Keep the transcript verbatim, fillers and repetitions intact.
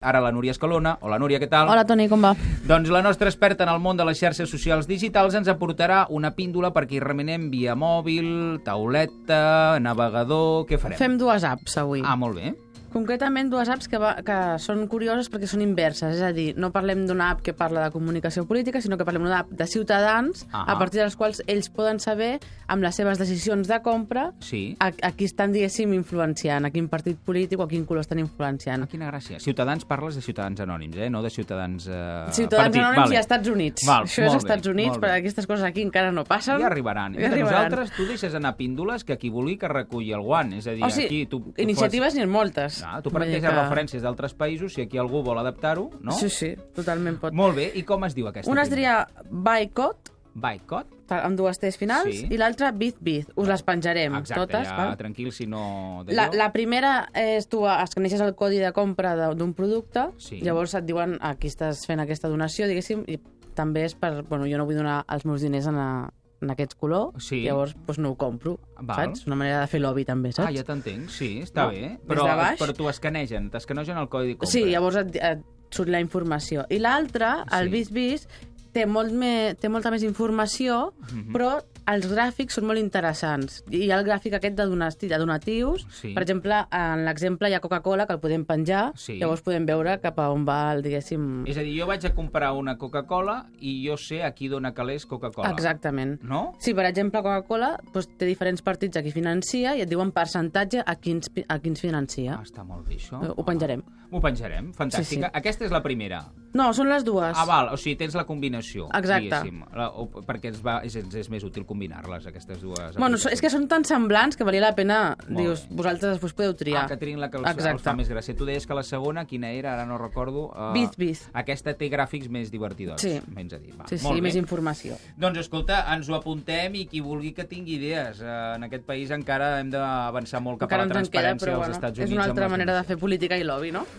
Ara la Núria Escalona. Hola, Núria, què tal? Hola, Toni, com va? Doncs la nostra experta en el món de les xarxes socials digitals ens aportarà una píndola perquè hi remenem via mòbil, tauleta, navegador... Què farem? Fem dues apps avui. Ah, molt bé. Concretament dues apps que, va, que són curioses perquè són inverses, és a dir, no parlem d'una app que parla de comunicació política, sinó que parlem d'una app de ciutadans, ah a partir dels quals ells poden saber, amb les seves decisions de compra, sí. a, a qui estan, diguéssim, influenciant, a quin partit polític o a quin color estan influenciant. Ah, quina gràcia. Ciutadans parles de ciutadans anònims, eh? No de ciutadans... Eh, ciutadans partit. anònims vale. I als Estats Units. Val, Això és als Estats Units, però aquestes coses aquí encara no passen. Ja arribaran. Ja arribaran. Nosaltres, tu deixes anar píndoles que qui vulgui que reculli el guant. És a dir, o sigui, aquí... Tu, tu iniciatives n'hi ha moltes. Ah, tu planteges que... referències d'altres països, si aquí algú vol adaptar-ho, no? Sí, sí, totalment pot. Molt bé, i com es diu aquesta? Una es diria Boycott, Boycott? amb dues T's finals, sí. I l'altra Bit-Bit. Us les penjarem exacte, totes. Ja, val? Tranquil, si no... La, la primera és tu escaneixes el codi de compra d'un producte, sí. Llavors et diuen aquí estàs fent aquesta donació, diguéssim, i també és per... Bueno, jo no vull donar els meus diners en, a, en aquest color, sí. Llavors doncs no ho compro, val. Saps? Una manera de fer lobby també, saps? Ah, ja t'entenc, sí, està no? bé. Però, però t'ho escanegen, t'escanegen el codi de compra. Sí, llavors et, et surt la informació. I l'altra, el sí. Bis-Bis, té, molt me, té molta més informació, mm-hmm. però els gràfics són molt interessants. Hi ha el gràfic aquest de, donati, de donatius. Sí. Per exemple, en l'exemple hi ha Coca-Cola, que el podem penjar, sí. Llavors podem veure cap a on va el, diguéssim... És a dir, jo vaig a comprar una Coca-Cola i jo sé a qui dona calés Coca-Cola. Exactament. No? Sí, per exemple, Coca-Cola doncs, té diferents partits a qui financia i et diuen percentatge a quins, a quins financia. Ah, està molt bé, això. Ho penjarem. Ah, ho penjarem, fantàstica. Sí, sí. Aquesta és la primera. No, són les dues. Ah, val, o sigui, tens la combinació. Exacte. La, o, perquè ens, va, és, ens és més útil combinar-les, aquestes dues. Bueno, és que són tan semblants que valia la pena, molt dius, bé. Vosaltres després podeu triar. Ah, que trin la que els, els fa més gràcia. Tu deies que la segona, quina era? Ara no recordo. Uh, Biz-Biz. Aquesta té gràfics més divertidors. Sí, menys a dir. Va, sí, sí, i més informació. Doncs escolta, ens ho apuntem i qui vulgui que tingui idees. Uh, en aquest país encara hem d'avançar molt cap encara a la transparència queda, però, als bueno, Estats Units. És una altra manera de fer política i lobby, no?